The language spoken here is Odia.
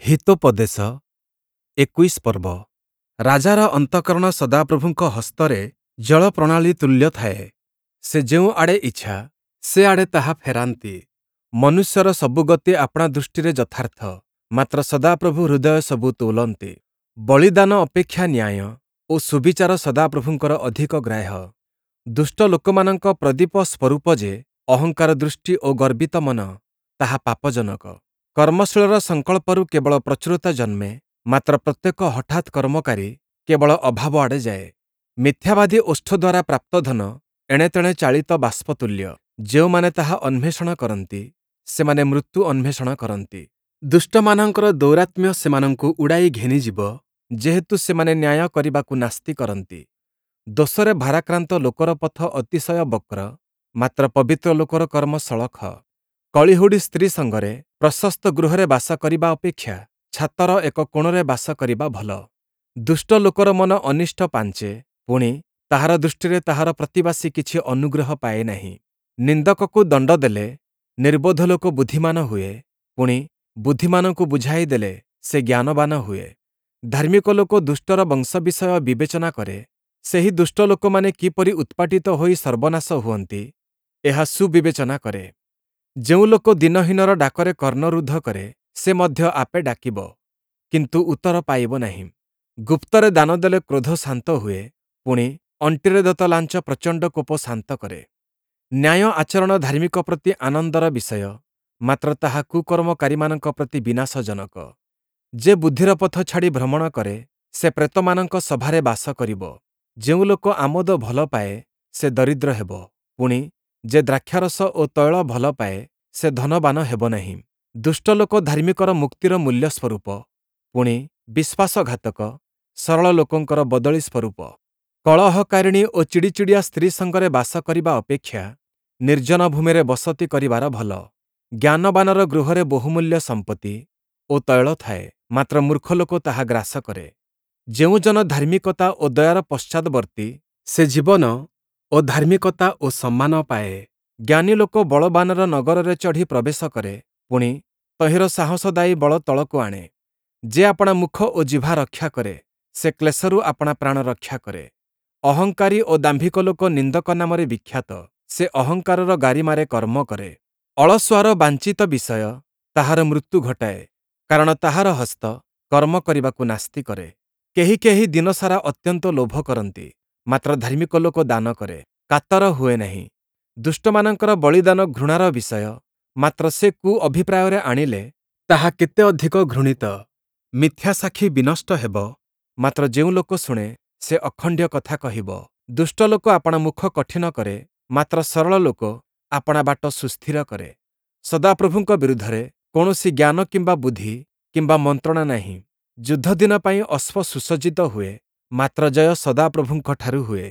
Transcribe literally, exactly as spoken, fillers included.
ହିତୋପଦେଶ ଏକୋଇଶ ପର୍ବ। ରାଜାର ଅନ୍ତଃକରଣ ସଦାପ୍ରଭୁଙ୍କ ହସ୍ତରେ ଜଳପ୍ରଣାଳୀ ତୁଲ୍ୟ ଥାଏ, ସେ ଯେଉଁ ଆଡ଼େ ଇଚ୍ଛା, ସେ ଆଡ଼େ ତାହା ଫେରାନ୍ତି। ମନୁଷ୍ୟର ସବୁ ଗତି ଆପଣା ଦୃଷ୍ଟିରେ ଯଥାର୍ଥ, ମାତ୍ର ସଦାପ୍ରଭୁ ହୃଦୟ ସବୁ ତୋଲନ୍ତି। ବଳିଦାନ ଅପେକ୍ଷା ନ୍ୟାୟ ଓ ସୁବିଚାର ସଦାପ୍ରଭୁଙ୍କର ଅଧିକ ଗ୍ରାହ୍ୟ। ଦୁଷ୍ଟ ଲୋକମାନଙ୍କ ପ୍ରଦୀପ ସ୍ୱରୂପ ଯେ ଅହଙ୍କାର ଦୃଷ୍ଟି ଓ ଗର୍ବିତ ମନ, ତାହା ପାପଜନକ। କର୍ମଶୀଳର ସଂକଳ୍ପରୁ କେବଳ ପ୍ରଚୁରତା ଜନ୍ମେ, ମାତ୍ର ପ୍ରତ୍ୟେକ ହଠାତ୍ କର୍ମକାରୀ କେବଳ ଅଭାବ ଆଡ଼େ ଯାଏ। ମିଥ୍ୟାବାଦୀ ଓଷ୍ଠ ଦ୍ୱାରା ପ୍ରାପ୍ତ ଧନ ଏଣେତେଣେ ଚାଳିତ ବାଷ୍ପ ତୁଲ୍ୟ। ଯେଉଁମାନେ ତାହା ଅନ୍ୱେଷଣ କରନ୍ତି, ସେମାନେ ମୃତ୍ୟୁ ଅନ୍ୱେଷଣ କରନ୍ତି। ଦୁଷ୍ଟମାନଙ୍କର ଦୌରାତ୍ମ୍ୟ ସେମାନଙ୍କୁ ଉଡ଼ାଇ ଘେନିଯିବ, ଯେହେତୁ ସେମାନେ ନ୍ୟାୟ କରିବାକୁ ନାସ୍ତି କରନ୍ତି। ଦୋଷରେ ଭାରାକ୍ରାନ୍ତ ଲୋକର ପଥ ଅତିଶୟ ବକ୍ର, ମାତ୍ର ପବିତ୍ର ଲୋକର କର୍ମ ସଳଖ। କଳିହୁଡ଼ି ସ୍ତ୍ରୀ ସଙ୍ଗରେ ପ୍ରଶସ୍ତ ଗୃହରେ ବାସ କରିବା ଅପେକ୍ଷା ଛାତର ଏକ କୋଣରେ ବାସ କରିବା ଭଲ। ଦୁଷ୍ଟ ଲୋକର ମନ ଅନିଷ୍ଟ ପାଞ୍ଚେ, ପୁଣି, ତାହାର ଦୃଷ୍ଟିରେ ତାହାର ପ୍ରତିବାସୀ କିଛି ଅନୁଗ୍ରହ ପାଏ ନାହିଁ। ନିନ୍ଦକକୁ ଦଣ୍ଡ ଦେଲେ ନିର୍ବୋଧ ଲୋକ ବୁଦ୍ଧିମାନ ହୁଏ, ପୁଣି, ବୁଦ୍ଧିମାନଙ୍କୁ ବୁଝାଇ ଦେଲେ ସେ ଜ୍ଞାନବାନ ହୁଏ। ଧାର୍ମିକ ଲୋକ ଦୁଷ୍ଟର ବଂଶ ବିଷୟ ବିବେଚନା କରେ, ସେହି ଦୁଷ୍ଟ ଲୋକମାନେ କିପରି ଉତ୍ପାଟିତ ହୋଇ ସର୍ବନାଶ ହୁଅନ୍ତି, ଏହା ସୁବିବେଚନା କରେ। ଯେଉଁ ଲୋକ ଦୀନହୀନର ଡାକରେ କର୍ଣ୍ଣରୁଦ୍ଧ କରେ, ସେ ମଧ୍ୟ ଆପେ ଡାକିବ, କିନ୍ତୁ ଉତ୍ତର ପାଇବ ନାହିଁ। ଗୁପ୍ତରେ ଦାନ ଦେଲେ କ୍ରୋଧ ଶାନ୍ତ ହୁଏ, ପୁଣି, ଅଣ୍ଟିରେ ଦତ୍ତ ଲାଞ୍ଚ ପ୍ରଚଣ୍ଡ କୋପ ଶାନ୍ତ କରେ। ନ୍ୟାୟ ଆଚରଣ ଧାର୍ମିକ ପ୍ରତି ଆନନ୍ଦର ବିଷୟ, ମାତ୍ର ତାହା କୁକର୍ମକାରୀମାନଙ୍କ ପ୍ରତି ବିନାଶଜନକ। ଯେ ବୁଦ୍ଧିର ପଥ ଛାଡ଼ି ଭ୍ରମଣ କରେ, ସେ ପ୍ରେତମାନଙ୍କ ସଭାରେ ବାସ କରିବ। ଯେଉଁ ଲୋକ ଆମୋଦ ଭଲ ପାଏ, ସେ ଦରିଦ୍ର ହେବ, ପୁଣି, ଯେ ଦ୍ରାକ୍ଷାରସ ଓ ତୈଳ ଭଲ ପାଏ, ସେ ଧନବାନ ହେବ ନାହିଁ। ଦୁଷ୍ଟ ଲୋକ ଧାର୍ମିକର ମୁକ୍ତିର ମୂଲ୍ୟ ସ୍ୱରୂପ, ପୁଣି, ବିଶ୍ୱାସଘାତକ ସରଳ ଲୋକଙ୍କର ବଦଳି ସ୍ୱରୂପ। କଳହକାରିଣୀ ଓ ଚିଡ଼ିଚିଡ଼ିଆ ସ୍ତ୍ରୀ ସଙ୍ଗରେ ବାସ କରିବା ଅପେକ୍ଷା ନିର୍ଜନ ଭୂମିରେ ବସତି କରିବାର ଭଲ। ଜ୍ଞାନବାନର ଗୃହରେ ବହୁମୂଲ୍ୟ ସମ୍ପତ୍ତି ଓ ତୈଳ ଥାଏ, ମାତ୍ର ମୂର୍ଖ ଲୋକ ତାହା ଗ୍ରାସ କରେ। ଯେଉଁ ଜନ ଧାର୍ମିକତା ଓ ଦୟାର ପଶ୍ଚାଦବର୍ତ୍ତୀ, ସେ ଜୀବନ ଓ ଧାର୍ମିକତା ଓ ସମ୍ମାନ ପାଏ। ଜ୍ଞାନୀ ଲୋକ ବଳବାନର ନଗରରେ ଚଢ଼ି ପ୍ରବେଶ କରେ, ପୁଣି, ତହିଁର ସାହସଦାୟୀ ବଳ ତଳକୁ ଆଣେ। ଯେ ଆପଣା ମୁଖ ଓ ଜିହ୍ବା ରକ୍ଷା କରେ, ସେ କ୍ଲେଶରୁ ଆପଣା ପ୍ରାଣ ରକ୍ଷା କରେ। ଅହଙ୍କାରୀ ଓ ଦାମ୍ଭିକ ଲୋକ ନିନ୍ଦକ ନାମରେ ବିଖ୍ୟାତ, ସେ ଅହଙ୍କାରର ଗାରିମାରେ କର୍ମ କରେ। ଅଳସୁଆର ବାଞ୍ଛିତ ବିଷୟ ତାହାର ମୃତ୍ୟୁ ଘଟାଏ, କାରଣ ତାହାର ହସ୍ତ କର୍ମ କରିବାକୁ ନାସ୍ତି କରେ। କେହି କେହି ଦିନସାରା ଅତ୍ୟନ୍ତ ଲୋଭ କରନ୍ତି, ମାତ୍ର ଧାର୍ମିକ ଲୋକ ଦାନ କରେ, କାତର ହୁଏ ନାହିଁ। ଦୁଷ୍ଟମାନଙ୍କର ବଳିଦାନ ଘୃଣାର ବିଷୟ, ମାତ୍ର ସେ କୁଅଭିପ୍ରାୟରେ ଆଣିଲେ ତାହା କେତେ ଅଧିକ ଘୃଣିତ। ମିଥ୍ୟା ସାକ୍ଷୀ ବିନଷ୍ଟ ହେବ, ମାତ୍ର ଯେଉଁ ଲୋକ ଶୁଣେ, ସେ ଅଖଣ୍ଡ୍ୟ କଥା କହିବ। ଦୁଷ୍ଟ ଲୋକ ଆପଣା ମୁଖ କଠିନ କରେ, ମାତ୍ର ସରଳ ଲୋକ ଆପଣା ବାଟ ସୁସ୍ଥିର କରେ। ସଦାପ୍ରଭୁଙ୍କ ବିରୁଦ୍ଧରେ କୌଣସି ଜ୍ଞାନ କିମ୍ବା ବୁଦ୍ଧି କିମ୍ବା ମନ୍ତ୍ରଣା ନାହିଁ। ଯୁଦ୍ଧଦିନ ପାଇଁ ଅଶ୍ୱ ସୁସଜ୍ଜିତ ହୁଏ, ମାତ୍ର ଜୟ ସଦାପ୍ରଭୁଙ୍କଠାରୁ ହୁଏ।